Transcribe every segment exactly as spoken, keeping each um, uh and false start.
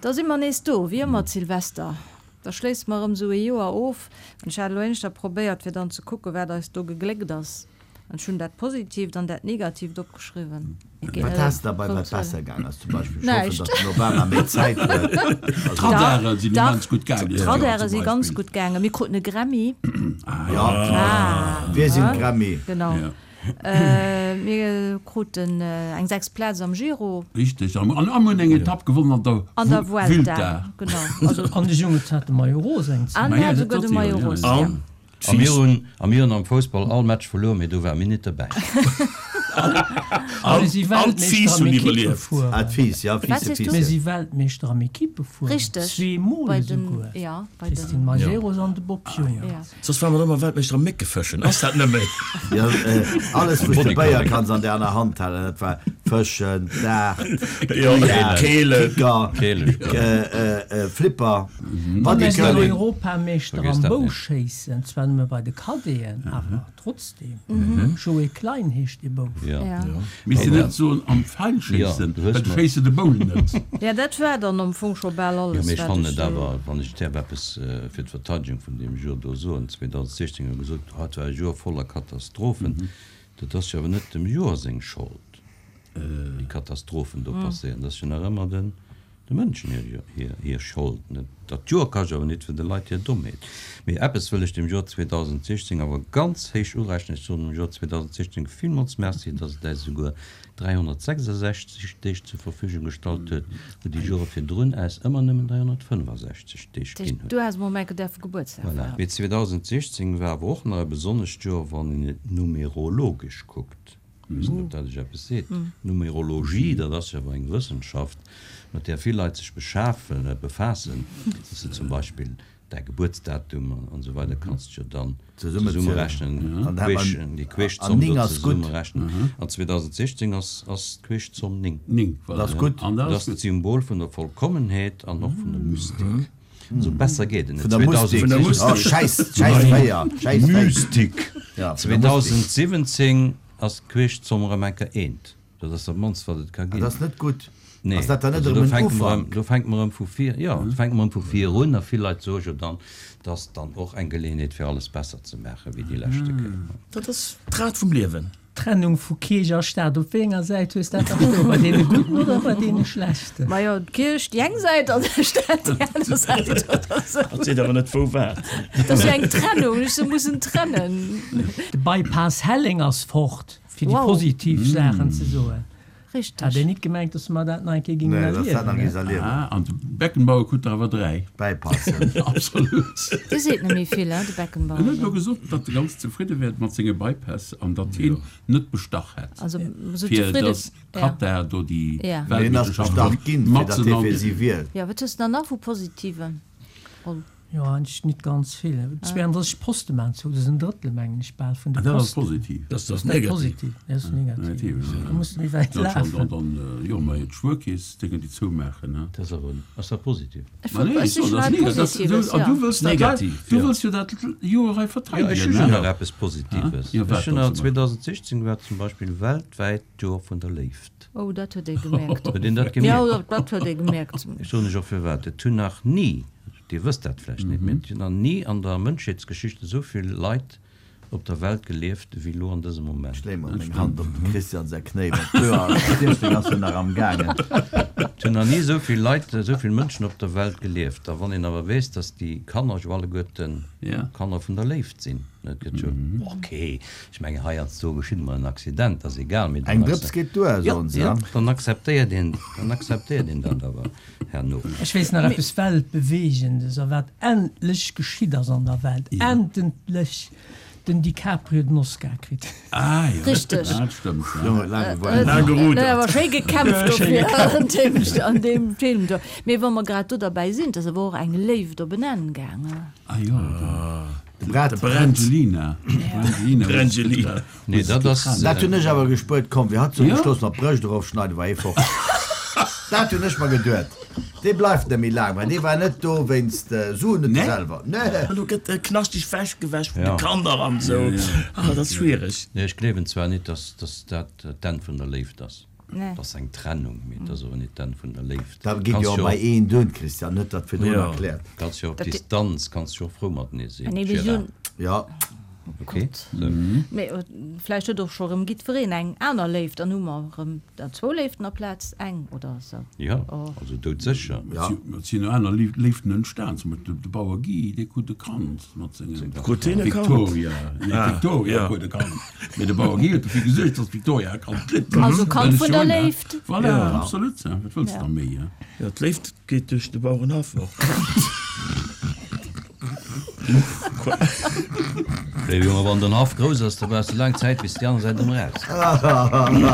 Da si mer nees do, wéi ëmmer d'Silvester. Da schléisse mer erëm esou ee Joer of. An ech hat elo éischter probéiert, fir dann ze kucken, wat eis do gegléckt ass. An ech hunn dat Positiivt an dat Negatiivt opgeschriwwen. Wat has de derbei, wat besser gaang ass? Zum Beispill, ech hoffen, datt den Obama méi Zäit huet. D'Radare sinn immens gutt gaangen dëst Joer D'Radare zum si ganz Beispill. gutt gaangen. Mir kruten e Grammy. Jo, wir sinn d'Grammy. Genau. Mir kruten eng sechst Plaz am Giro. Richteg, an mir hunn eng Etapp gewonnen an der An der Vuelta, genau. An de Jungs hat de Maillot rose eng Zäit. An hat esouguer de Maillot rose, jo. A mir hunn a mir hunn am Foussball all Match verluer, mee do war mir nit derbäi. A mir si Weltmeeschter am Equipefueren. Ah, d'Fiiss, ja, Fiisse, Fiisse. Mir si Weltmeeschter am Equipefueren. Richteg. Zwee Mol esouguer. D'Christine Majerus an de Bob Jungels. Soss ware mer ëmmer Weltmeeschter am Méckefëschen. Ass dat net méi? Jo, alles wou s de Béier kanns an der aner Hand halen, dat war Fëschen, Dart, Billard, Kicker, Flipper, A mir sinn Bodycurling. Europameeschter am Bouschéissen, zwar nëmme bei de Cadeten, awer trotzdeem. Joé Klein heescht dee Bouf. Misst een net soen am Pfeilschéissen, well du schéisse de Boul net. Jo, dat war dann am Fong scho bal Jo, alles, mee ech wat fannen ech et awer, wann ech däerf eppes fir d'Verteidegung vun deem Joer do soen, zweedausendsechzéng hu gesot, oh, et war e Joer voller Katastrophen. Dat ass jo awer net dem Joer seng Schold, déi Katastrophen do passéieren. Dat ass jo nach ëmmer den de Mënschen hir, hir, hir Schold. Net dat Joer kascht awer nit fir de Leit hir Dommheet. Mee eppes wëll ech dem Joer zweedausendsechzéng awer ganz héich urechnen. Ech soen dem Joer zweedausendsechzéng villmools Merci, dass et äis esouguer dräihonnertsechsasechzeg Deeg zur Verfügung gestallt huet, wou déi Jore virdrun äis ëmmer nëmmen dräihonnertfënnfasechzeg Deeg ginn huet. Du has mol enke däerfe Gebuertsdag Voilà. feieren. Mee zweedausendsechzéng war awer och nach e besonnescht Joer, wann een et numerologesch kuckt. Ech weess net, ob dat iech eppes seet. Numerologie, dat ass jo awer eng Wëssenschaft, mat där vill Leit sech beschafen, befaassen, dass se zum Beispill däi Gebuertsdatum an esou weider kanns de jo dann zesummerechnen, déi Queeschzomm do zesummerechnen. An zweedausendsechzéng ass ass d'Queeschzomm néng. Néng, voilà. Dat ass gutt. An Dat ass d'Symbol vun der Vollkommenheet an och vun der Mystik. Also besser geet et net. Vun der Mustik. Oh, Schäiss, Schäiss véier, Schäiss véier. Mystik. Ja, vun der Mustik. zweedausentsiwwenzéng ass d'Queeschzomm erëm eng Kéier eent. Dat ass dat mannst, wat et ka Ah, ginn. dat ass net gutt. Nee, Ass dat dann net also do erëm en fänke mer erëm, Ufank? do fänke mer erëm vu vir, jo, do fänke mer erëm vu vir un a vill Leit soe jo dann, dat ass dann och eng Geleeënheet fir alles besser ze maachen wéi déi leschte Kéier. Dat ass d'Rad vum Liewen. Trennung vu Kierch a Staat, op wéi enger Säit hues dat da stoen? Bei deene Gudden oder bei deene Schlechten? Majo, d'Kierch déi eng Säit an de Staat déi aner Säit oder sou. Dat seet awer net wou wat. Dat ass jo eng Trennung, ech se mussen trennen. De Bypass Helleng ass fort, fir déi Wow. positiv Saachen ze soen. Richteg. Hat een nit gemengt, dass mer dat nach eng Kéier gingen Nee, dass dat nach erliewen, géings ne? erliewen. Ah, an de Beckenbauer krut der awer dräi. Bypassen. Absolut. Dee seet net méi vill, hein, de Beckenbauer. En huet elo gesot, datt e ganz zefridde wär mat senge Bypäss an datt hien net bestach hätt, Also, esou fir zefridde, datt ja. Katar do déi Ja. Mee hien ass Weltmeeschterschaft bestach ginn, fir datt matzen hie an fir si wielt. Jo, wat hues de dann nach vu Positiven, Roll? Jo, eigentlech nit ganz vill. zweeëndrësseg Poste maan zou, dat ass en Drëttel, mengen ech, bal vun de Ah, dat ass Posten. positiv. Dat ass Dat ass negativ. positiv, dat ass negativ. Negativ, Da muss de méi wäit Dat schon, lafen. dann, dann, jo, mä d'Spuerkeess, déi kënnt déi zoumaachen, ne? Dat ass awer, ass dat positiv? Ech Ma wollt, nee, ech ech soen, sichen dat ass hei negativ. Dat, Positives, du, an ja. du wëlls dat, Negativ, du ja. wëlls jo dat Joer hei Jo, ech verteidegen, hu jo ne? nach eppes Positives. Jo, Ech wat hunn dann nach, zum Beispill? zweedausendsechzéng war zum Beispill weltwäit d'Joer vun der Léift. Oh, dat huet ee gemerkt. Huet een dat Jo, gemierkt? dat huet ee gemerkt. Ech soen lech och firwat. Et hunn nach ni, Dir wësst dat vläicht net, mee et hunn nach ni an der Mënschheetsgeschicht esou vill Leit op der Welt gelieft wéi elo an dësem Moment. Ech leeë mol meng Hand op dem Christian säi Knéi, well d'Joer siechzéng ass jo nach am gaangen. Et hunn nach ni esou vill Leit, esou vill Mënschen op der Welt gelieft. A wann een awer weess, dass déi Kanner jo alleguerten Kanner vun der Léift sinn, et gëtt jo, ok, ech mengen heiansdo geschitt emol en Accident, ass egal, mee Eng dann Drëps geet duer, jo, soen se. jo, dann akzeptéiert een, dann akzeptéiert een dat awer herno. Ech weess nach eppes Weltbewegendes, a wat endlech geschitt ass an der Welt, endlech! Den DiCaprio den Oscar kritt. Ah jo, Richteg. dat stëmmt, ja. Jongen, huet laang gewaart. Laang gerudert. Huet awer schéi gekämpft dofir an deem, an deem Film do. Mee wa mer grad do derbäi sinn, et ass awer och eng Léift op en Enn gaangen. Ah jo, De Brad. De Brad. Brangelina. Brangelina. Brangelina. Nee, dat ass. Dat hunn ech awer gespuert. Komm, wéi hatt sou Ja. beschloss mat d'Brëscht erofschneiden, war hie fort. Dat hunn ech mer geduet. Dee bleift net méi laang, well dee war net do wéinst Suen, huet e selwer. Nee. Elo gëtt e knaschteg wechgewäsch vun de Ja. Kanner an esou. Ah, dat ass schwiereg. Nee, ech gleewen zwar nit, dass, dass dat d'Enn vun der Léift ass. Nee. Dat ass eng Trennung, mee dat ass awer net d'Enn vun der Léift. Dat geet jo Kanns och jo bei een dunn, Christian, huet dat virdrun Ja. erkläert. Kanns jo op Dat- Distanz, kanns jo och frou matenee sinn, Nee, mir Gérard. sinn- Ja. Okay. Sou. Mee vläicht huet och scho rëm jiddwereen eng aner Léift, dann hu mer rëm dann zwou Léiften aplaz eng oder sou. Ja, Oh. also doudsécher. Ja. Et sinn och aner Léiften entstan, zum Beispill de Bauer Guy, dee krut e Kand mat sengem Krut deen e Kand? Victoria. Nee, Ah, d'Victoria ja. krut e Kand. Mee de Bauer Guy huet dofir gesuergt, datt d'Victoria e Kand kritt. Also Kand Dat is vun der schön, hè? Léift. Voilà, Ja. absolut. Ja. Wat wëlls du Ja. da méi? Hè? Ja, d'Léift geet duerch de Bauerenhaff och. Léiwe Jonge, wann den Haff grouss ass, da brauchs du laang Zäit, bis déi aner Säit erëm raus.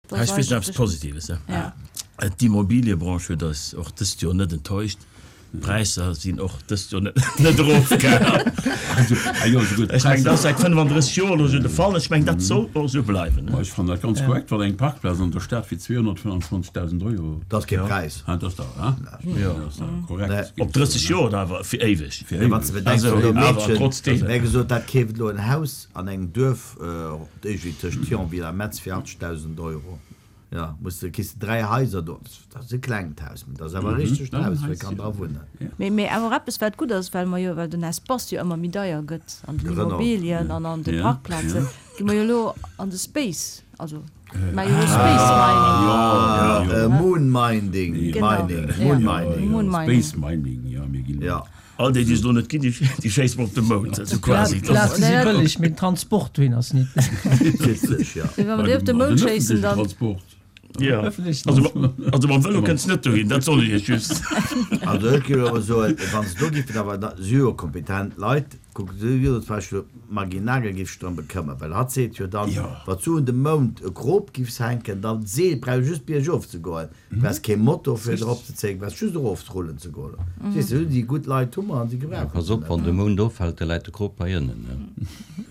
Das Ech weess nach ass eppes Positives. Ja. Ja. D'Immobiliebranche huet eis och dëst Joer net enttäuscht. D'Präisser sinn och dëst Joer net, net erofgaangen. Also, ah jo, esou gutt, Ech meng, dat ass Präisser. säit fënnefandrësseg Joer elo sou de Fall. Ech meng, dat sollt och sou bleiwen. Ma ech fannen dat ganz korrekt, wann eng Parkplaz an der Stad fir zweehonnertfënnanzwanzegdausend Euro. Dat ass kee Präis. Ah, dat ass da, hein? Ja. Dat ass da korrekt. Nee. Op drësseg Joer oder awer fir éiweg? Fir Ja, wann éiweg. s de bedenks, Also, wou do awer Meedchen, trotzdem. mir gesot, dat keeft elo en Haus an engem Duerf, iergendwéi tëscht Thionville a Metz fir achtzegdausend Euro. Ja, muss de, kriss de dräi Haiser do. Dat ass e klengt Haus, mee dat ass awer e richtegt Dat Haus, ass wou ee kann ja. dra wunnen. Mee, mee awer eppes, wat gutt ass, well mer jo, well den Espace jo ëmmer méi deier gëtt an den Genau. Immobilien an an de Ja, Parkplazen, ja. gi mer jo elo an de Space, also mer jo Space Mining. Ja, ja. Äh, Moon Mining, Genau. Mining, Ja. Moon Mining. Moon Mining. Space Mining, ja, mir ginn. Ja. All déi, déi es elo net ginn, déi, déi schéisse mer op de Mound, also quasi. D'Plaze Das si Nee, dat- bëlleg, mee den Transport dohin ass net. Witzeg, ja. Mee wa mer déi op de Mound schéissen, dann Transport. Ja. Öffentlichen Also, also mam Vëlo kënns net dohin, dat soll ech iech just. Also ech géif awer soen, wann se do giffen awer da- si jo kompetent Leit, kuck, si wier zum Beispill d'Maggy Nagel giff sech drëm bekëmmern, well hatt seet jo dann, Ja. wat du un de Mound e Krop giffs hänken, dann d'Seel brauch just biergof ze goen, brauchs kee Motor fir drop ze zéien, brauchs just erof rullen ze goen. Siehst du, déi gutt Leit hu mer an si gebrauchen Pass se op, net. wann de Mound offält, da läit de Krop hei ënnen, ne?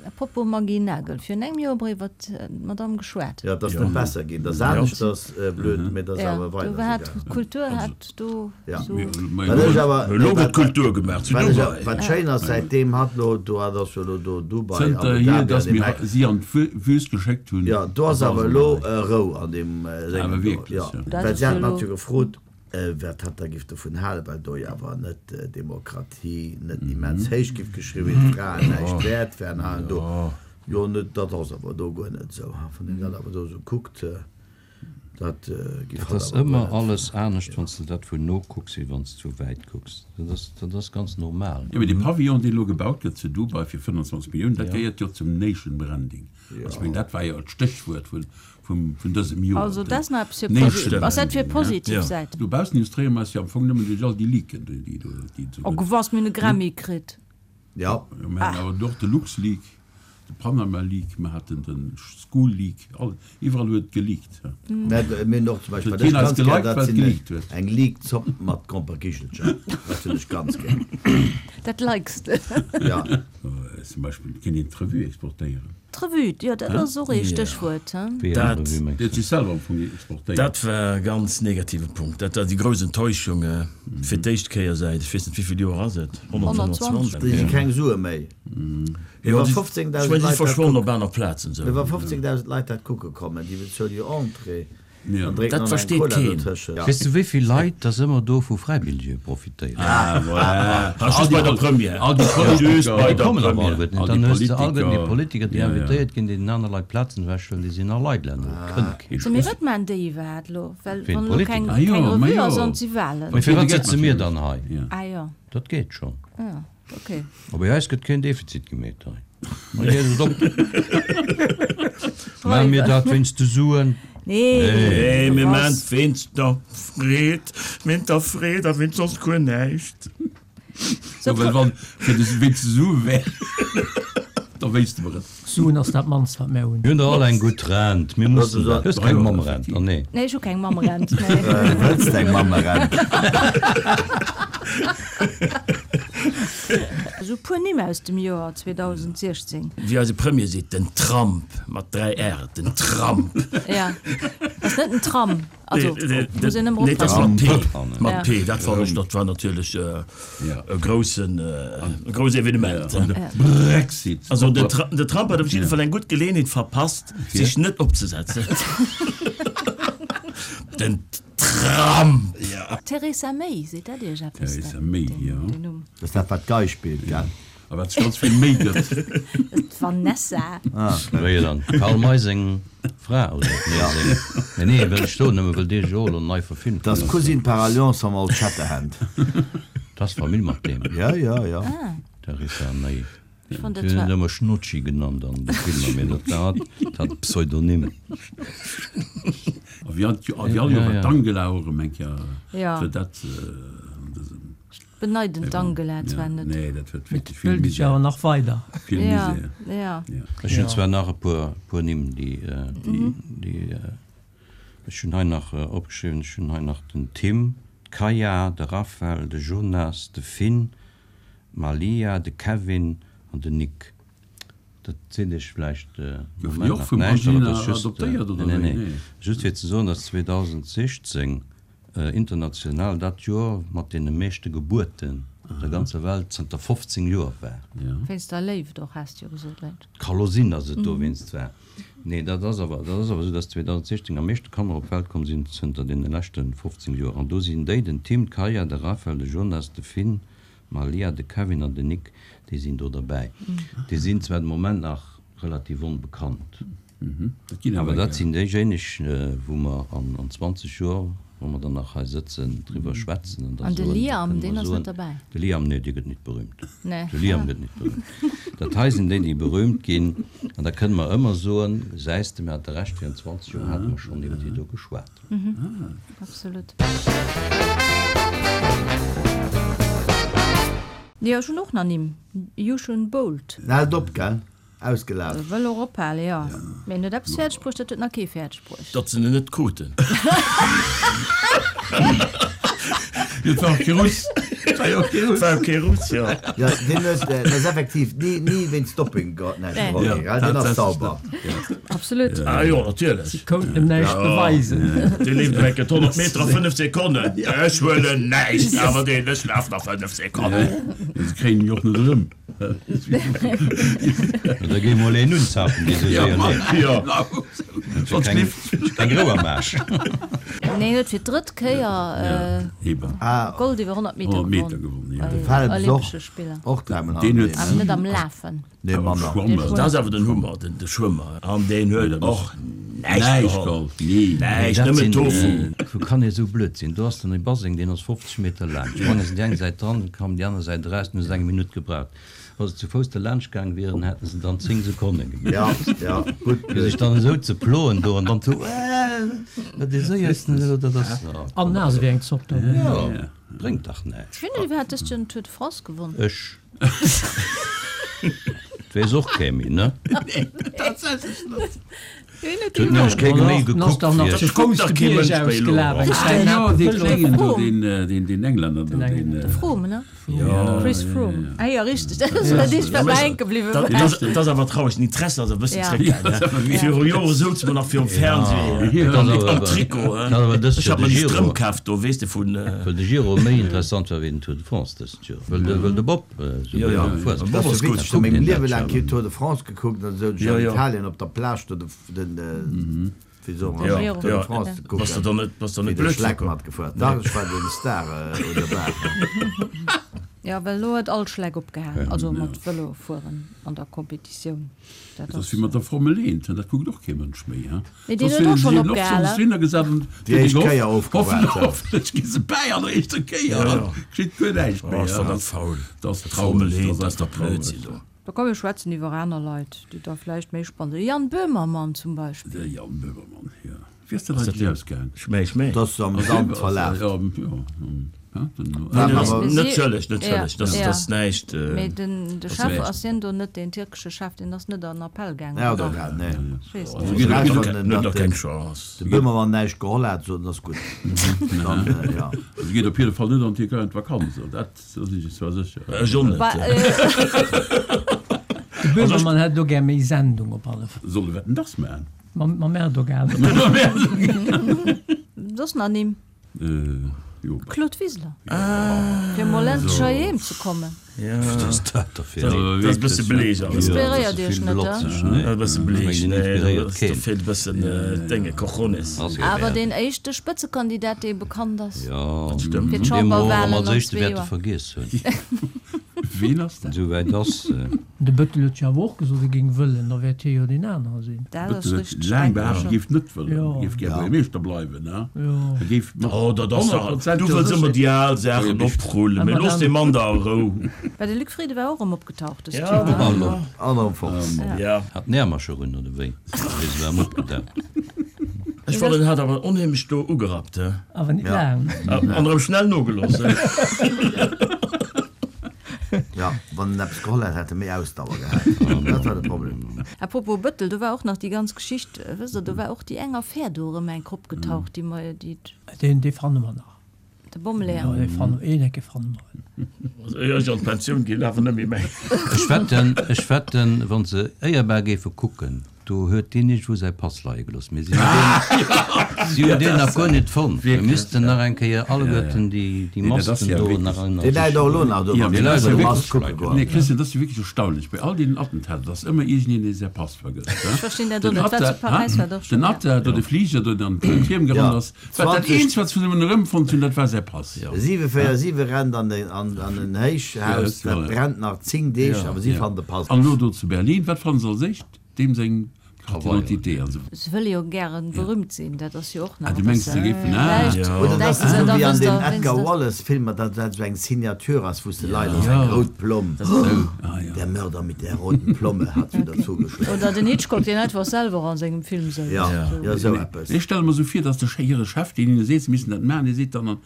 Apropos Maggy Nagel, virun engem Joer hu mer iwwer d'Madame geschwat. Ja, dat ass net besser ginn, dat ass aneschters blöd, mee dat ass Ja, awer do weider hat esou gaangen. d'Kultur hat do Ja. sou. Wat ech awer, Elo gëtt Kultur gemaach zu wat ech Dubai. awer, wat schéin ass, säitdeem hat lo, do hat ass jo lo do Dubai, Zënter Abu hier, Dhabi dass an dem mir Eck. si an d'Wüst geschéckt hunn. Ja, do ass awer elo Rou an deem Séngem Awer do. wierklech, Ja. ja. Dat Well ass si haten jo hat lo- jo gefrot, wat hat da giff dovun halen, well do jo awer net Demokratie net immens héich giff geschriwwen, d'Fraen näischt wäert wären hei an do. Jo, net, dat ass awer do guer net esou. Wann een dat awer do esou kuckt, dat giff Dat hat ass awer guer ëmmer net. alles anescht, wann s de dat vun no kucks, wéi wann s du wäit kucks. Dat ass, dat ass ganz normal. Ja, mee de Pavillon, deen elo gebaut gëtt zu Dubai fir fënnanzwanzeg Milliounen, dat gehéiert jo zum Nation Branding. Also, ech mengen, dat war jo d'Stéchwuert vun, vum, vun dësem Joer. Also dat ass nach eppes fir Nation posi-, ass dat fir Branding, ja. positiv Ja. Säit? Dobaussen illustréiere mer eis jo am Fong nëmmen duerch all déi Leaken, déi, déi do, déi et esou Oh, gëtt. gewass, mir hunn e Grammy kritt. Ja. Jo, mir haten awer och de LuxLeak, de Panama Leak, mir haten de School Leak, all, iwwerall huet et geleakt. Ja. Mä mir hunn och zum Beispill, Huet wat ech keen eis ganz gär, geliked, dat well et sinn geleakt huet. eng Leak-Zopp mat Gromperkichelcher. Dat hunn ech ganz gär. Dat likes de. Ja. Zum Beispill kéint een d'Revue exportéieren. D'Revue, jo, dat ass och ee Stéchwuert, he? Wéi eng Dat- Revue mengs Déi du? huet sech selwer am Fong exportéiert. Dat war e ganz negative Punkt. Dat war déi grouss Enttäuschung fir d'éischt Kéier säit, ech weess net, wéi vill Joer ass et? honnertzwanzeg. Déi si keng Sue méi. Jo, Iwwer déi- fofzéngdausend ech mengen, déi Leit dat verschwonnen kucken. op aner Plazen esou. Iwwer fofzéngdausend Leit dat kucke kommen, déi bezuele jo Entrée. Ja. An drénken Dat dann eng versteet Cola keen. dotëschent. Ja. Weess du, wéi vill Leit dass ëmmer do vu Fräibilljee profitéieren? Ah, voilà. Ah, just bei der Première. All déi Just Politiker. bei Déi der kommen awer Première. alleguerten net. All Dann déi hues de alleguerten déi Politiker. Politiker, déi Ja, ja. invitéiert ginn, déi den aner Leit Plazen ewechhuelen, déi sinn all Leit länner. Kënnt kee So, mee wat maachen déi iwwerhaapt elo? Well Ween, wann elo keng, d'Politiker? Ah, jo, keng ma Revue jo. ass an si Wahlen. Mee firwat Geld sëtze mir natierlech. dann hei? Ja. Ah jo. Dat geet schonn. Ja, okay. A bei eis gëtt keen Defizit gemeet hei. Hei geet et op. Maache mir dat wéinst de Suen? Nee, Nee, mir was? maachen et wéinst der Freed, wéinst der Freed a wéinst soss guer näischt. So, Ja, well wann fir de wéinst de Sue wär, da wéisste mer et. Suen ass dat mannst, wat mir hunn. Mir hunn der all eng gutt Rent. Mir mussen Dat dat. ass Hues keng Mammerent? Oh nee. Nee, ech hu keng Mammerent, nee. Wëlls de eng Mammerent? Esou puer Nimm aus dem Joer zweedausendsechzéng. Wéi eise Premier seet, den Tramp, mat dräi R, den Tramp. Ja, ass net den Tram, also muss een ëmmer Nee, dat ass mat oppassen. P, mat P, dat fannen ech, dat war natierlech e groussen, e grouss Evenement. An de Brexit. Also den Trump huet op jidde Fall eng gutt Geleeënheet verpasst, sech net opzesetzen. Den Trump! Theresa May, seet dat Iech eppes? Theresa May, jo. Den Numm. Dat ass dat, wat d'Gei spillt, gell? A wat sech ganz vill Méi gëtt. D'Vanessa. Ah, okay. Wéi dann? Karl May seng Fra, oder? Nee, seng. Nee, nee, wëll ech do nëmme, wëll dee jo elo nei verfilmt Dat ass ginn ass. Cousine par alliance mam Old Shatterhand. Dat ass Famill mat deem. Ja, ja, ja. Theresa May. Ech fonnt Si dat hunn zwar. en ëmmer Schnutschi genannt an de Filmer, mee dat war hat Pseudonym. A wéi all Joer war d'Angela och erëm eng Kéier Ja. fir dat an dësem. Ech beneiden d'Angela zwar net. Nee, dat huet Mee wierklech vill d'wëllt ech Misär. awer nach weider. Vill Ja, Misär. ja. Ja. Ech hunn zwar nach e puer, puer Nimm, déi, déi, ech hunn hei nach opgeschriwwen, ech hunn hei nach den Tim, d'Kaya, de Raphael, de Jonas, de Finn, d'Malia, de Kevin an den Nick. Dat seet iech vläicht de Goufen déi Moment och nach vum näischt, awer Angelina dat ass just, adoptéiert, oder nee, wéi? nee, Nee. just fir ze soen, datt zweedausendsechzéng international dat Joer mat deene meeschte Gebuerten op der ganzer Welt zënter fofzéng Joer war. Wéinst der Léift och, has de jo gesot, Lynn. Ka lo sinn, datt et dowéinst war. Nee, dat ass awer, dat ass awer esou, datt zweedausendsechzéng am meeschte Kanner op d'Welt komm sinn zënter deene leschte fofzéng Joer. An do sinn déi, den Tim, d'Kaya, de Raphael, de Jonas, de Finn, d'Malia, de Kevin an den Nick, déi sinn do derbäi. Déi sinn zwar de Moment nach relativ onbekannt, awer dat sinn déijéineg, wou mer an zwanzeg Joer, wou mer dann nach hei sëtzen, driwwer schwätzen an da An de soen, da Liam, kënne deen mer ass net soen, derbäi? De Liam, nee, dee gëtt nit berühmt. Nee. De Liam gëtt nit berühmt. Dat hei sinn déi, déi berühmt ginn. An da kënne mer ëmmer soen, gesäis de, mir hate Recht, virun zwanzeg Joer hate mer schonn iwwer déi do geschwat. Absolut. Jo, ech hunn och nach Nimm. Usain Bolt. En hält op, gell? Ausgelaf. E wëll och ophalen, jo. Mee en huet eppes fäerdeg bruecht, dat huet nach kee fäerdeg bruecht. Datt se en net kruten. Et war och kee Russ. Et war jo och kee Russ. Et war och kee Russ, jo. Jo, deen huet, dat ass effektiv ni, ni wéinst Dopping geholl, näischt Nee. geholl ginn, gell? Deen ass sauber. Absolut. Ah jo, natierlech. Si konnten em näischt beweisen. Dee leeft eng Kéier d'honnert Meter a fënnef Sekonnen. Ech huelen näischt, awer deen, ech laf nach fënnef Sekonnen. Se kréien en jo och net erëm. Da géi mol een unzapen, dee sou séier leeft. Jo. Sonst keng, keng Rou am Aarsch. Nee, en huet fir d'drëtt Kéier Gold iwwer honnert Meter gewonnen De bei Phelps och, Olympesche Spiller. och dräimol Deen huet. Awer net am Lafen. Nee, manner. Dat ass awer den Hummer, den de Schwëmmer. An deen huet och näischt Näischt geholl. geholl. Nee. Näischt, Dat nëmmen sinn, Tofu. Wou kann ee sou blöd sinn? Do ass dann e Baseng, deen ass fofzeg Meter laang. Sprange se déi eng Säit dran, kommen déi aner Säit eraus, dann hu se eng Minutt gebraucht. Wa se zu Fouss derlaanscht gaang wieren, hätte se dann zéng Sekonne gemaach. Ja, ja, gutt. Fir sech dann esou ze ploen do an dann zu, Äh, dat dee séiersten elo, dat ass. An naass ewéi eng Zopp do. Jo, bréngt dach näischt. Wien huet iwwerhaapt dëst Joer den Tour de France gewonn? Ech. Et weess och kee méi, ne? Tatsächlech net. Wien huet Et huet nämlech kee méi Dann ass gekuckt dach nach fir. zu Fouss dach de kee Bierg Mënsch méi elo. ausgelaf, eng Ah Zäit jo, op dee Vëlo. Kléngen do, Froome. deen, deen, deen Englänner do, Den deen. Englänner. De Froome, ne? Ja, Chris ja, Froome. ja. Ah jo, richteg, dat ass dat eescht, wat mer hänke bliwwe Dat, war. dat, dat ass awer traureg, den Interesse ass e bëssen Ja. zréckgaangen. Viru Jore souze mer nach virum Fernseh Dat ass awer- am Trikot. dat ass awer dëst Ech Joer hat mer de déi Giro. Strëmp kaf do, weess de, vun. Well de Giro méi interessant war wéi den Tour de France dëst Joer. Well de, well de Bob esou Ja, ja. gutt gefuer ass. De Bob Dat ass ass gutt. witzeg, ech hu mengem Kuckt een Liewe dat laang jo. keen Tour de France gekuckt, dann souz ech Ja, an ja. Italien op der Plage do de, den, wéi soe mer, Ja, Giro. Tour de ja. France ze Bass de kucken. dann net, bass de Wéi net de blöd Schleck virkomm? matgefuer. Dach, ech war den Star un der Bar. Jo, well elo huet all Schleck opgehalen, also mat Vëlo fueren an der Competitioun. Dat Dat ass ass wéi mat der Formel eent, dat kuckt och kee Mënsch méi, he? Nee, deen Soss huet och wieren schonn si eben och opgehalen. soss hinner gesat an Déi éischt Kéier ofgewaart, ja. Hoffentlech gi se bäi an der éischter Kéier an geschitt guer näischt méi, Oh, ech he? fann dat faul. Dat ass Formel traureg, eent, dat dat ass ass einfach der Blödsinn traureg. do. Da komm mir schwätzen iwwer aner Leit, déi da vläicht méi spannend sinn. Jan Böhmermann zum Beispill. De Jan Böhmermann, jo. Wéi ass dat eigentlech ausgaang? Schmäi, schmäi. Dat ass am Sand verlaf. Ja, ja. Natierlech, natierlech, dat ass näischt. Mee den de Chef, ass hien do net, deen tierkesche Chef, deen ass net an Appell gaangen, oder? Nee. Ech weess net. Huet nach keng Chance. De Böhmermann näischt geholl hat, sot en ass gutt. Dann, ja. Also geet op jidde Fall net an d'Tierkei an d'Vakanz, dat sinn ech zwar sécher. Ech och net. De Böhmermann hätt elo gär méi Sendung op alle Fall. Soll e Wetten, dass maachen? Mam Erdogan. Soss nach Nimm? Jo. Claude Wiseler. Fir mol endlech heiheem ze kommen. Wat ass dat da fir een? Dat ass e bësse bleech alles. Inspiréiert iech net, he? Dat ass e bësse bleech. Nee, do feelt e bëssen Dénge, Cojones. Awer deen éischte Spëtzekandidat, dee bekannt ass. Jo, Dat stëmmt. Fir dee mer och d'Chamberwahlen als an éischte zwee wäerte Joer. vergiess hunn. Ween ass dat? Esouwäit ass. De Bëttel huet jo awer och gesot, e géing wëllen, da wäert hie jo deen anere sinn. Dat ass Bëttel huet richteg, laang denken ech behaapt, e och. géif net wëllen, Jo. e géif gär Buergermeeschter bleiwen, ne? Jo. E géif mat Oh, dat ass honnert dach, Prozent du wëlls ëmmer déi al Saachen Jo, oprullen, mee looss dee Mann da a Rou. Well de Luc Frieden war och erëm opgetaucht dëst Ja, Joer, ne? Hallo. An Fox. Ja. Hat den Äermercher un, oder wéi? Wéi se war opgetaucht. Ech fannen, en hat awer onheemlech do ugerappt, he? Awer net Ja. laang. An erëm schnell nogelooss, he? Ja, wann en eppes geholl hätt, hätt e méi Ausdauer gehat. Dat war de Problem. A propos Bëttel, do war och nach déi ganz Geschicht, wësst Der, do war och déi eng Affär do erëm enk opgetaucht, déi mer, déi. Deen, dee fanne mer nach. De Bommeleeër. Jo, dee fanne, een Ecke fanne mer. Also, éier ech an d'Pensioun ginn, awer net méi méi. Ech wetten, ech wetten, wa se éierbar géife kucken, do huet deen iergendwou säi Pass leie gelooss. Mee si hunn deen, si hunn deen nach guer net fonnt. Mir missten nach eng Kéier alleguerten déi, déi Masken do nach Dee läit och elo nach do, Ja, wann mee se dat ass bei jo der Mask wierklech, kucke goen. nee Christian, dat ass jo wierklech erstaunlech, bei all deenen Attentater, dass ëmmer iergendeen, dee säi Pass vergësst, Ech verstinn dat och Den net. Wat zu Atta, Paräis war et och den schonn, ja. Atta, do de Fliger, do an den Tierm gerannt Ja, ass, wat dat zwanzeg. eenzegt, wat se vun him erëmfonnt hunn, dat war säi Pass. Siwe véier siwe rennt an den, an, an en Héichhaus, Ja, dat ja. brennt nach zéng Deeg, awer si Ja. fannen de Pass. An elo do zu Berlin, wat fannen se als éischt? Deem seng Carte d'identité. Also, Se wëlle jo gären berühmt sinn, dat ass jo och nach ah, du e mengs, se bëssen. géifen, ah. Vläicht Ja. Oder dass denken se se esou da wéi an wësst deem der, Edgar wéinst der. Wallace-Filmer, datt dat esou eng Signature ass, wou s de leit ass, Ja. eng rout Plomm. Ah, ja. Der Mörder mit der roten Plomme hat wieder zugeschlagen. Oder den Hitchcock, deen einfach selwer an sengem Film souz. Ja, Esou. ja, esou eppes. Ech stelle mer sou vir, dass de Che- hire Chef, deen hinne seet, se missten dat maachen, dee seet dann,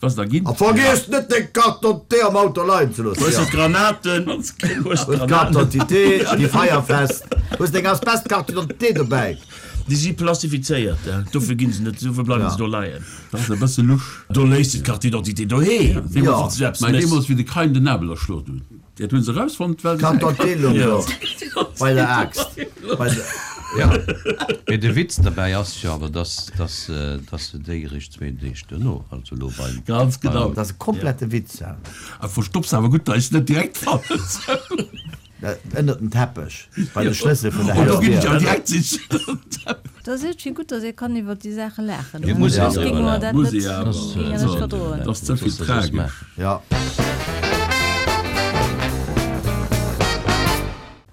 was da ginn. A vergiess net deng Carte d'identité am Auto leien ze loossen. Hues Ja. de d'Granaten? Hues Hues d'Granaten? d'Carte d'identité, déi feierfest. Hues deng Asbestcarte d'identité dobäi. Déi si plastifizéiert, hè? Dofir ginn se net, dofir bleiwen Ja. se do leien. Dat ass e bësse lusch. Do léiss de d'Carte d'identité doheem, Ja. wann s du eppes Mä méchs. deemools, wéi de Kain den Abel erschloen huet, dat hunn se erausfonnt, well se. Carte d'identité loung Ja. do bei der Aaxt. Bei der. Ja. Mee de Witz derbäi ass jo awer, dass, dass, dass se déi eréischt zwee Deeg duerno, also elo beim. Ganz genau. Dat ass e komplette Witz, hè. A verstopps awer gutt, dass ech net direkt fannen. Ënnert dem Teppech, bei de Schlëssel vun der Oh, do ginn ech awer Hausdier. direkt sichen. Dat ass iergendwéi gutt, dass ee kann iwwer déi Saache laachen, Jo, muss soss een géinge driwwer mer laachen. dat Muss net, ee awer. géinge net Also, verdroen. dat ass ze vill Soss ass es tragesch. maach. Ja.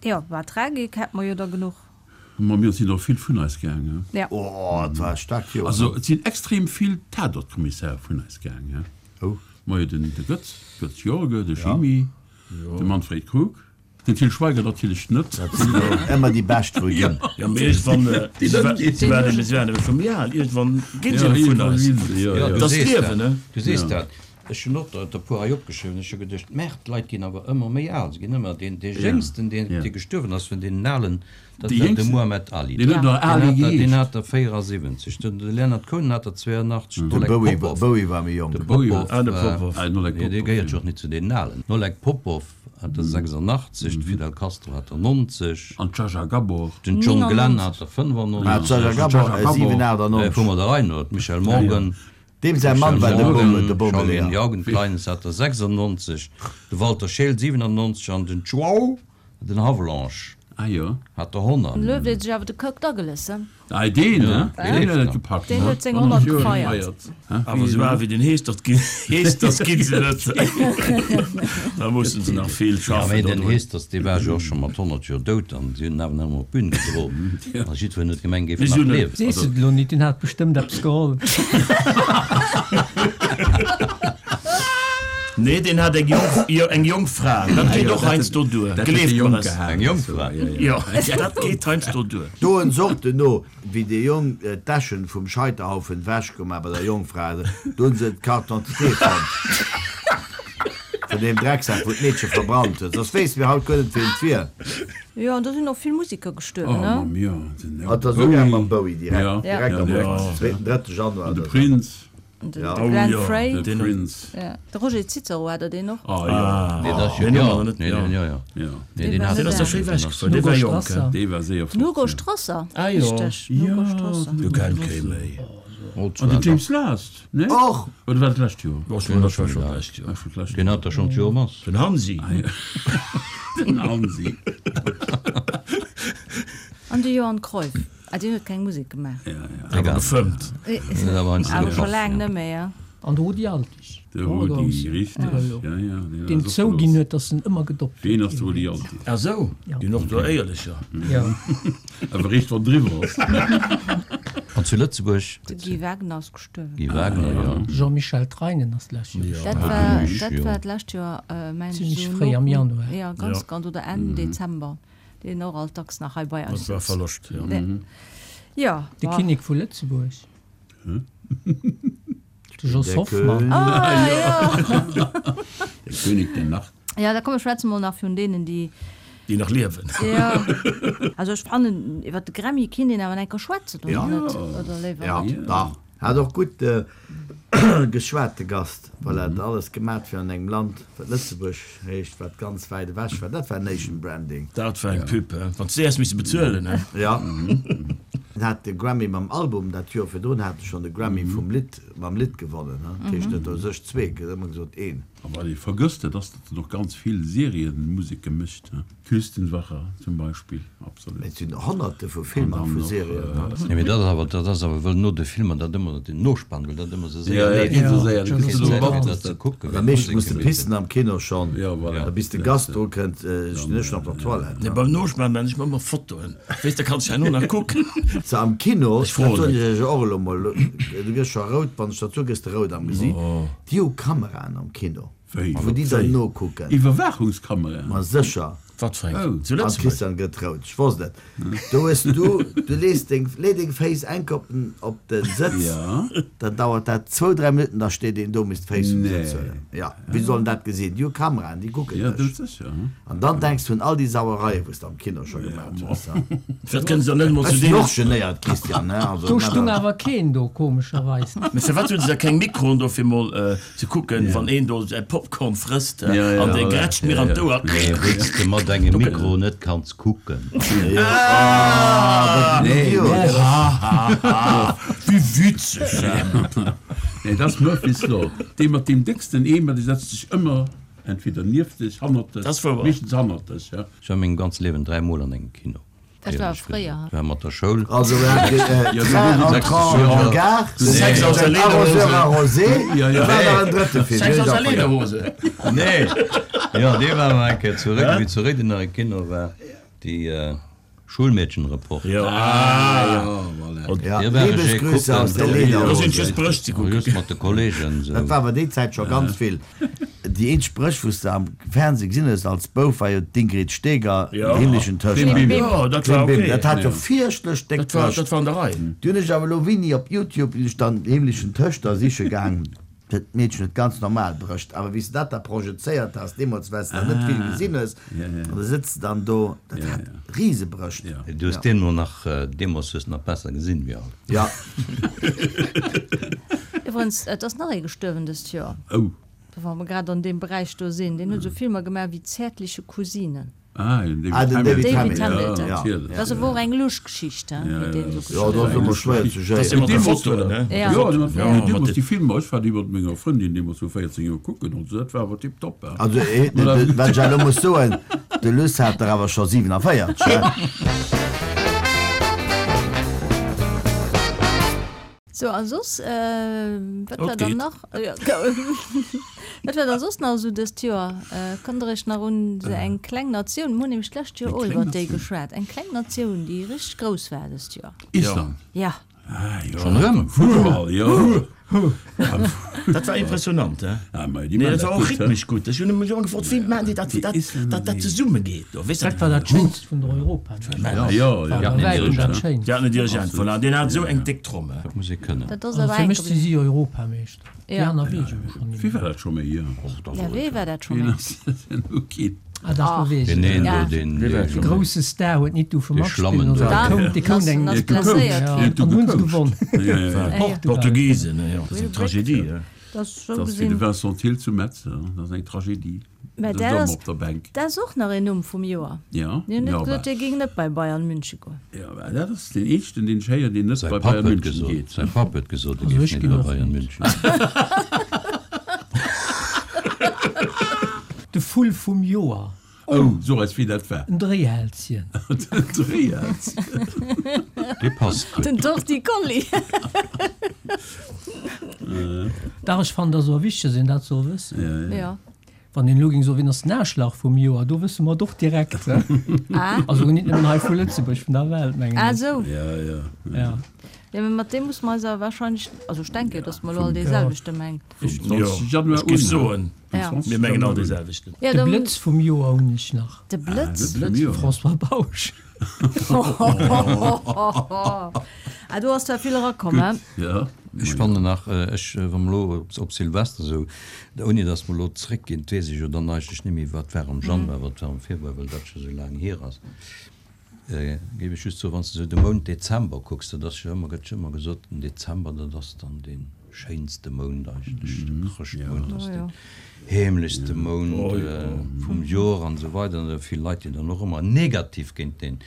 Jo, war Tragik hätte mer jo der genuch. Ma mir sinn och vill vun eis gaangen. Ja. Oh, et war e staarkt Joer. Also, et sinn extrem vill Tatort-Kommissäre vun eis gaangen. Oh. Majo, den de Götz, Götz Jorge, de Jimmy, de Manfred Krug, den Til Schweiger natierlech net. Dat sinn jo ëmmer déi Bescht wou ginn. Ja, mee iergendwann, si wa- si waren si waren ebe scho méi al, iergendwann ginn se Ja, jo vun iergendwann eis. ginn se, ja, Ja, ja. du Dat ass sees d'Liewen, dat. ne? Du sees dat. Ech hunn och der der puer hei opgeschriwwen. Ech hu geduecht, Merr, d'Leit ginn awer ëmmer méi al. Se ginn ëmmer, deen, dee Jéngsten, deen, Ja. dee gestuerwen ass vun deenen Alen, dat Dee war de Jéngsten? Muhammad Ali. Deen huet nach Deen Ali hat der, deen geheescht. hat der véierasiwwenzeg. Den, de Leonard Cohen hat der zweiundachtzeg. De Den Oleg Bowie, Popov. Bowie war méi jonk. De Bowie Popov, Ah, de war- Popov. Ah, den Oleg Nee, dee Popov, gehéiert ja. jo och net zu deenen Alen. Den Oleg Popov hat der sechsundachtzeg, de Fidel Castro hat der neunzeg. An d'Zsa Zsa Gabor. Den John Glenn neunundneunzeg. hat der Ah, fënnfundneunzeg. d'Zsa Zsa Gabor, Zsa Zsa äh, Gabor. Äh, siewenundneunzeg. vun der Rei no, d'Michelle Morgan. Deem säi Mann war de Bommel, de Bommeleeër. Charlene Kleines hat der sechsundneunzeg, de Walter Scheel siebenundneunzeg an den Joao, den Havelange, Ah jo. hat der honnert. Den Löw huet sech awer de Kirk Douglas, he? Ah, deen, ne? Ja. Deen huet et gepackt, Deen ne? huet seng honnert Honnert Joer gefeiert. gefeiert. Awer esou al wéi den Heestert ginn, Heesters ginn se net. Da mussen se nach vill Ja, schaffen mee den dodrun. Heesters, dee war jo och scho mat honnert Joer dout an si hunn en awer nach ëmmer op d'Bün gedroen. A jiddwereen huet gemengt, géif Mee en si nach hunn en- liewen. Sees et elo net, deen hat bestëmmt eppes geholl. Nee, deen hat eng Jong, jo, eng Jongfra. Dat geet och heiansdo duer. Dat huet de Gleeft Jong mer es. gehat. Eng Jongfra? Jo, dat geet heiansdo duer. Do en Sorten no, Wéi dee Jong d'Äschen vum Scheiterhaufen wechgemaach bei der Jongfra, do hunn se d'Carte d'identité fonnt vun deem Drecksak, wou d'Meedche verbrannt huet. Soss wéisste mir haut guer net, wien et wier. Jo, an do sinn och vill Musiker gestuerwen, ne? Oh, mam, jo, den Hat der souguer mam Bowie direkt, Ja, direkt am ja, Ufank, zweeten, drëtte Januar An de oder sou. Prince. An den Ja. de Glenn Oh jo, Frey. De Prince. Ja. De Roger Cicero, hat der deen och? Ah, jo. Nee, dat Den jo, hu mer net, nee, ja. den, jo, jo. Ja. Nee, deen war hat net Deen ass da schéi den wech ass- gefuer, dee Hugo war jonk, Strasser. Dee war séier Den fort, Hugo ja. Strasser, Ah jo. richteg, den Hugo Ja, Strasser. Du kennt kee méi. Oh, An den James Last, ne? Och! Oder war dat d'lescht Joer? Dat war schon d'lescht Joer. Ah, schon d'lescht Den Joer. hat der schon d'Joer mass. Den Hansi. Ah, ja. Den Hansi. An de Johan Cruyff. Ah, deen huet keng Musek gemaach. Ja, ja. Awer gefëmmt. Awer scho laang net méi, ja. An de Rudi Altig. De Rudi, richteg. Ja, ja, deen Deen ass och zouginn verlooss. huet, datt en ëmmer gedoppt Ween ass de Rudi Altig? Ah sou, deen och do éierlecher. Ja. Awer richt wann driwwer ass. An zu Lëtzebuerg? De Guy Wagner ass gestuerwen. Guy Wagner, ja. Jean-Michel Treinen ass d'lescht Joer Dat gestuerwen. war, Zimmlech, dat jo. war d'lescht Joer, mengen ech, Zimmlech esou fréi am no, Januar. ja, ganz, ganz, oder Enn Dezember. Deen och alt dacks nach hei bei eis Dat war sëtzt. Verloscht, ja. Ja, De bah. Kinnek vu Lëtzebuerg. De Jos Der Hoffmann. König. Ah, ja. Der König der Nacht. Ja, da komm, schwätze mol nach vun deenen, déi. Déi nach liewen. Ja. Also ech fannen, iwwer de Grammy kinnt een awer enker schwätzen, oder Ja. net? Oder léiwer Ja, net? dach. Hat och gutt geschwat, de Gast, well hat alles gemat fir an engem Land, wat Lëtzebuerg heescht, wat ganz wäit ewech war. Dat war Nation Branding. Dat war eng Pub, he? Wann s de äers misse bezuelen, he? Ja. En hat de Grammy mam Album, dat Joer virdrun hat e schonn de Grammy vum Lidd, mam Lidd gewonnen, he? Dat heescht net u sech zwee, gëtt ëmmer gesot een. A wat ee vergësst, dat ass, datt en och ganz vill Serienmuseke mécht, he? Küstenwache zum Beispill, absolut. Mee et sinn Honnerte vu Filmer a vu Serien, he? Nee, mee dat ass awer, dat ass awer wëll no de Filmer dat ëmmer den Nospann, wëll dat ëmmer sou séier Ja, ja, leeft. geet sou séier, da Keng kriss de Zäit mat, fir dass dat ze dat. kucken, Am wéi meeschten d'Musek muss de gemeet pissen gëtt. am Kino schonn, Ja, voilà. da bis de Gast dru kënnt, stinn ech schon op der Toilette. Nee, beim Nospann man ech mer ëmmer Fotoen, weess, da kanns du herno nach kucken. So am Kino, Ech froen dat soen net. ech iech och elo mol, du gëss scho rout, wann ech dat soe gëss de rout am Gesiit, déi hu Kameraen am Kino, Wéi? wou déi dann nokucken. Iwwerwaachungskameraen? Ma sécher. Wat fir eng? Oh. Zu An Lëtzebuerg? Christian gëtt rout, ech wosst et. Do hues du, du lees deng, lee deng Féiss enk op den, op den Sëtz, Ja. dann dauert dat zwou, dräi Minutten, da steet een do, misst d'Féiss vum Nee. Sëtz huelen. Ja, wéi sollen dat gesinn? Déi hu Kameraen, déi kucken Ja, dech. dat sécher, hm. An dann denks du un all déi Sauereie, wou s de am Kino scho gemaat hues. Firwat kënnen se dann net emol Ech zu sinn deenen. och genéiert, Christian, ne? Also, Do stung awer keen do, komescherweis. Mee firwat hunn se da keng Mikroen do fir mol ze kucken, wann een do säi Popcorn frësst Ja, ja, an dee ja. grätscht mir an d'Ouer. Nee, wéi s de mat engem Mikro net kanns kucken. Nee, Wéi witzeg! Nee, dat ass Murphy's Law. Dee mat deem décksten Eemer, dee setzt sech ëmmer entweder nieft dech, hannert dech, Dat ass wouer. meeschtens hannert dech, ja. Ech war mengem ganze Liewen dräi Mol an engem Kino. Dat war fréier. War mat der Schoul. Also wir haten äh, Ja, Train du- du- entrant Ja. en gare, Sex aus der den Lederhose. Arroseur arrosé, Ja, ja. da war nach en drëtte Film. Sex den aus der ech auch vergessen. Lederhose. Nee, jo, dee war mer eng Kéier zu Réiden, wéi zu Réiden nach e Kino war, déi Schulmädchenreport. Jo, Ah, ja, voilà. Ja, Dir war ech liebe ee Grüße kucken. aus der da sinn Lederhose. just Brëscht ze kucken. Just mat de Kollegen esou. Dat war awer déi Zäit scho ganz vill. Déi eenzeg Brëscht, wou s de am Fernseh gesinn hues als Bouf, war jo d'Ingrid Steger, Ja. Den himmlischen Töchter. Bim, bim. Jo, dat war Bim, bim. okay. Dat hat jo Ja. fierchtlech déck Dat war, Brëscht. dat war an der Rei. Du hunn ech awer elo wéini op YouTube hunn ech dann Himmlischen Töchter siche gaang. Dat Meedchen huet ganz normal Brëscht, awer wéi s de dat da projezéiert has, deemools well s de net vill gesinn hues, Ja, ja. an da sëtz de dann do, dat Ja, hat ja. Risebrëscht. Ja. Du hues deen elo nach, deemools hues de nach besser gesinn wéi haut. Ja. Iwwerens, et ass nach ee gestuerwen dëst Joer. Oh. Wa mer grad an deem Beräich do sinn, deen huet esou Filmer gemaach wéi Zärtliche Cousinen. Ah, den David Ah, den Hamilton. David David Hamilton. Hamilton. Ja, Ja. natierlech. Dat ass awer och eng lusch Geschicht, he, Ja, wéi deen ja, esou Ja, dat ass gestuerwen ëmmer ass. schwéier ze Dat ass géieren. ëmmer de Deemools Fotoen, war ne? Ja. Ja, ja, Ja, deemools mat déi Filmer, ech war déi mat menger Frëndin deemools vu véierzéng Joer kucken und so, dat war awer tipptopp, he. Also, eh, de, de, wat ech elo muss soen, de Luss hat der awer scho siewenundvierzig, he? So, a soss, wat war Et dann geet. nach? Ja, wat war da soss nach esou dëst Joer? Kënnt der iech nach un se eng kleng Natioun, mir hunn nämlech d'lescht Joer Eng och kleng iwwer déi Natioun? geschwat, eng kleng Natioun, déi richteg grouss war dëst Joer. Island. Ja. Schonn erëm? Futtball, jo. Dat war impressionant, he? Ah, ma déi Nee, man dat dat war och gutt, he? rhythmesch gutt. Ech hunn mech ëmmer gefrot, wéi maachen déi dat, wéi dat, dat, dat zesummegeet do, weess de? Dat war dat Schéinst vun der Europameeschterschaft. Ja, jo, War jo. bei wäitem dat Schéinst. Déi haten en Dirigent verlaangt, deen hat esou eng déck Tromm, he? Dat muss ee kënnen. Dat ass Also awer fir enk mech si gebliwwen. si Europameeschter. Déi Ja. aner weess ech elo schonn Wie net war méi. dat scho méi? Jo. Ja, wee war dat scho Wien méi? ass dat denn elo ginn? Ah, dach, lo weess Deen ech een et. do, Ja. deen, Wie war deen, dat De grousse Star huet nit dofir Dee matspillen, Schlammen also do. dee koum, dee koum eng Ass Deen huet blesséiert. Ja, Deen huet an hunn se gecoacht. gewonn. Ja, ja, ja. Portugal. Portugisen, jo. Dat ass Will eng Tragedie, he? Dat ass sou Dat ass wéi de gesinn. Vincent Thill zu Metz, hè. Dat ass eng Tragedie. Mä Dat dat ass ass, op der Bänk. dat ass och nach een Numm vum Joer. Ja, Mir hunn net ja, gesot, aber, dee géing net bei Bayern München goen. ja, aber dat ass den éischten, deen ech héieren, deen net Säi bei Papp Bayern huet München gesot, geet. säi Papp huet gesot, e Also géif ech net ginn bei och Bayern net. München. De Vull vum Joer. Oh, so eis wéi dat war. En Dréihälschen. Den Dréihälschen. Dee passt gutt. Den Torticolli. Dach, ech fannen, dat ass och wichteg, dass een dat soll wëssen. Ja, ja. Ja. Wann een elo géing soen, wien ass den Aarschlach vum Joer, do wësse mer et och direkt. Ah. Also nit nëmmen hei vu Lëtzebuerg, vun der Welt, mengen Ah, ech. sou. Ja, ja. Ja. Ja, mä mat deem muss mer eis awer wahrscheinlech, also ech denke, dass mer elo all dee Ja. selwechte mengen. Vum Jo, zwanzeg Januar ech géif un, soen, Vum Ja. zwanzeg mir mengen all Januar dee un. selwechten. Ja, De dann, Blëtz vum Joer hunn ech nach. de Blëtz. De Blëtz vum Joer. François Bausch. Ah, do ass der vill erakomm, hä? Gutt, ja. Ech fannen nach, ech, wa mer elo op, op Silvester esou, ouni datt mer elo zréckginn, 't weess ech jo dann eigentlech net méi, wat war am Januar, wat war am Februar, well dat scho sou laang hier ass, géif ech just soen, wann s de esou de Mount Dezember kucks, dat ass jo ëmmer, gëtt jo ëmmer gesot, den Dezember, dat ass dann dee schéinste Mount eigentlech, de Chrëschtmount ass deen heemlechste Mount vum Joer an esou weider. An vill Leit, déi dann och ëmmer negativ géint deen,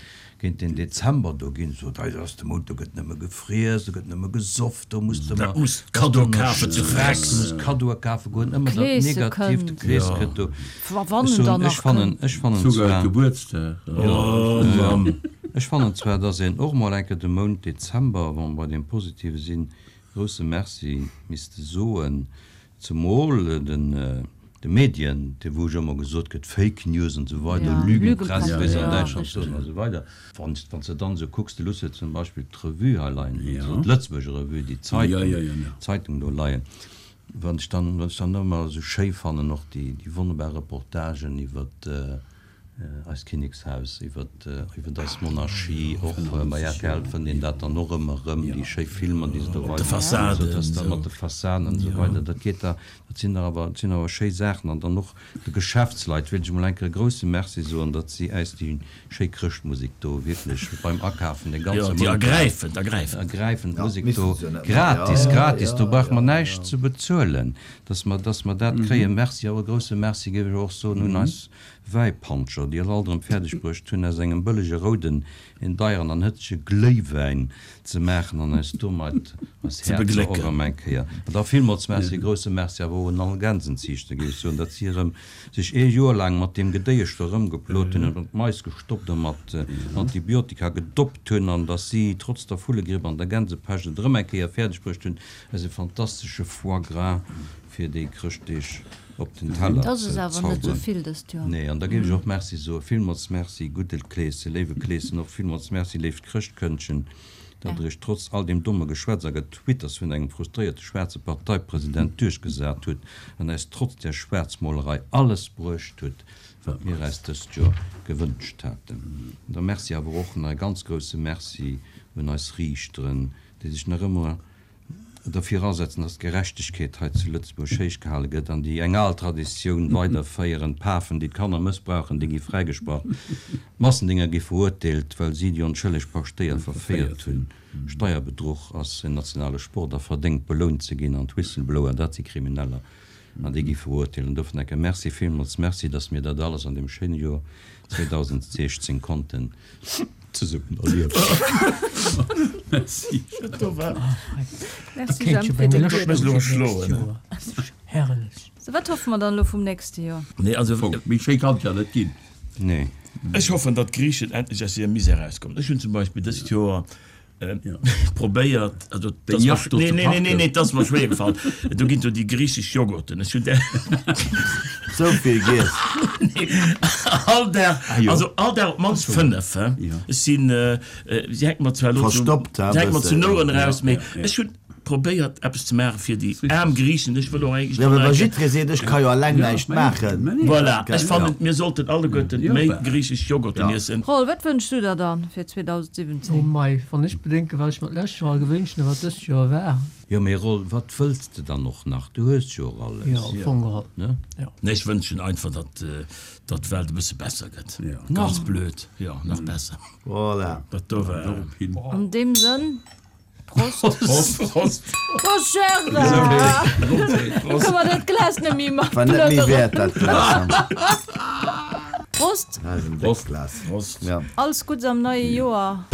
géint den Dezember do ginn, so, dat ass de Mount, do gëtt nëmme gefriess, do gëtt nëmme gesoff, do muss de Da ëmmer, muss Kaddoe kafen zu Frex. du muss Kaddoe kafe goen, ëmmer dat Kleese Negatiivt, de kënnt. Klees kënnt do. Wa wann Ech en soen, dann ech nach fannen, kënnt. ech fannen Souguer zwar, Gebuertsdag. Oh Mann. ech fannen zwar, dass een och mol eng Kéier de Mount Dezember, wa mer bei deem Positive sinn, grousse Merci misste soen, zemol den, de Medien, de wou jo ëmmer gesot gëtt, Fake News an esou weider, Ja, Lügenpresse, Lügenpresse, wéi se an ja, Däitschland richtig. soen an esou weider. Wann s, wann s de dann esou kucks, du looss jo zum Beispill d'Revue hei leien, Ja. also d'Lëtzebuerger Revue, déi Zeitung, Ja, ja, ja, ja. Zeitung do leien. Wann ech dann, wann ech dann ëmmer esou schéi fannen och déi, déi wonnerbar Reportagen iwwer eist Kinnekshaus, iwwer, iwwer eis Monarchie, och bei R T L fënnt een dat dann och ëmmer erëm, déi schéi Filmer, déi se do De weisen, Fassaden, esou dass da esou. mat de Fassaden an esou weider, dat geet da, dat sinn da awer, dat sinn awer schéi Saachen. An dann och de Geschäftsleit wéilt ech emol eng Kéier e grouse Merci soen, datt si äis déi schéi Chrëschtmusek do wierklech beim Akafen de Jo, ganze déi Mount laang ergräifend, ergräifend. ergräifend Ja, Musek missten do se jo net gratis, maachen. Ja, gratis, ja, do brauche mer ja, näischt ja. ze bezuelen, dass mer, dass mer dat kréien. Merci, awer e grouse Merci géif ech och soen un eis Wäipanscher, déi et alt erëm fäerdeg bruecht hunn, aus engem bëllege rouden een deieren an hëtzege Gléiwäin ze maachen an eis domat eis Ze Häerzer och beglécken. erëm eng Kéier. An da villmools Merci, grouse Merci awer och un all Gänsenziichter, géif ech soen, datt si erëm sech ee Joer laang mat deem Gedéiesch do erëmgeplot hunn an d'Mais gestoppt a mat Antibiotika gedoppt hunn an datt si trotz der Vullegripp an der Gänsepescht et erëm eng Kéier fäerdeg bruecht hunn, eis e fantastesche Foie gras fir déi Chrëschtdeeg op den Teller Dat ass ze awer net sou zauberen. vill dëst Joer. Nee, an da géif ech och Merci soen, villmools Merci, gudde Kleeschen, léiwe Kleeschen, och villmools Merci, léift Chrëschtkëndchen, datt Der iech trotz all deem domme Geschwätz a Getwitters vun engem frustréierte schwaarze Parteipresident duerchgesat hutt an eis trotz där Schwaarzmolerei alles bruecht hutt, wat mir eis dëst Joer gewënscht haten. An da Merci awer och nach e ganz grousse Merci un eis Riichteren, déi sech nach ëmmer derfir asetzen, dass d'Gerechtegkeet hei zu Lëtzebuerg héich gehale gëtt an déi eng al Traditioun weiderféieren, d'Pafen, déi d'Kanner mëssbrauchen, déi gi fräigesprach, d'Massendinger gi verurteelt, well si déi onschëlleg Paschtéier verféiert hunn, Steierbedruch ass en nationale Sport a verdéngt belount ze ginn an d'Whistleblower, dat si Krimineller an déi gi verurteelt. An dofir enke Merci, villmools Merci, dass mir dat alles an deem schéine Joer zweedausendsechzéng konnten zesummen erliewen. Merci. Merci, Kéint Jemp, jo fir bei de mir gudden Mech lo nächst schloen. Joer. Herrlech. So, wat hoffe mer dann elo vum nächste Joer? Nee, also, Fong, méi schéi kann et ja net ginn. Nee. Ech hoffen, datt d'Griichen endlech aus hirem Misär erauskommen. Ech hunn zum Beispill dëst Joer Probéiert, also Deng Yacht do nee, ze nee, nee, nee, parken. nee, dat ass mer schwéier gefall. Do ginn do déi griichesch Joghurten. Ech hunn där Sou vill giess. nee, all Dag, Ah jo. also all Dag op d'mannst fënnef, he. Ja. Ech sinn, si hänkt mer zwar elo zu, Verstoppt, he, si hänkt mer zu bëssen. Nouren Ja, eraus, mee ja, ja. ech hunn probéiert eppes ze maache fir déi aarm Griichen. Ech wëll och eigentlech Jo, dann mä wa enke. jiddweree seet, ech ka jo alleng Ja, näischt mä nee, maachen. mä nee. Voilà, Gell, ech fannen, ja. mir sollten alleguerten Ja, méi bah. griichesch Joghurten Ja. iessen. Roll, wat wënschs du der dann fir Oh zweedausendsiwwenzéng? mei, wann ech bedenken, wat ech mer d'lescht Joer gewünscht hunn a wat dëst Joer war. Jo, mee Roll, wat wëlls de dann och nach? Du hues jo och alles. Jo, am Fong geholl. Ne? Jo. Nee, ech wënschen einfach, datt datt d'Welt e bësse besser gëtt. Ja. Ganz blöd, jo, nach besser. Voilà. Dat do war. Dorop hin. An deem Sënn, Prost! Prost, Prost! Prost, Gérard! Lo kënne mer dat Glas net méi mat War net méi plënneren. wäert, dat Glas. Prost! Dat ass en déckt Prost, Glas. Prost! Ja. Alles Guddes am neie Joer!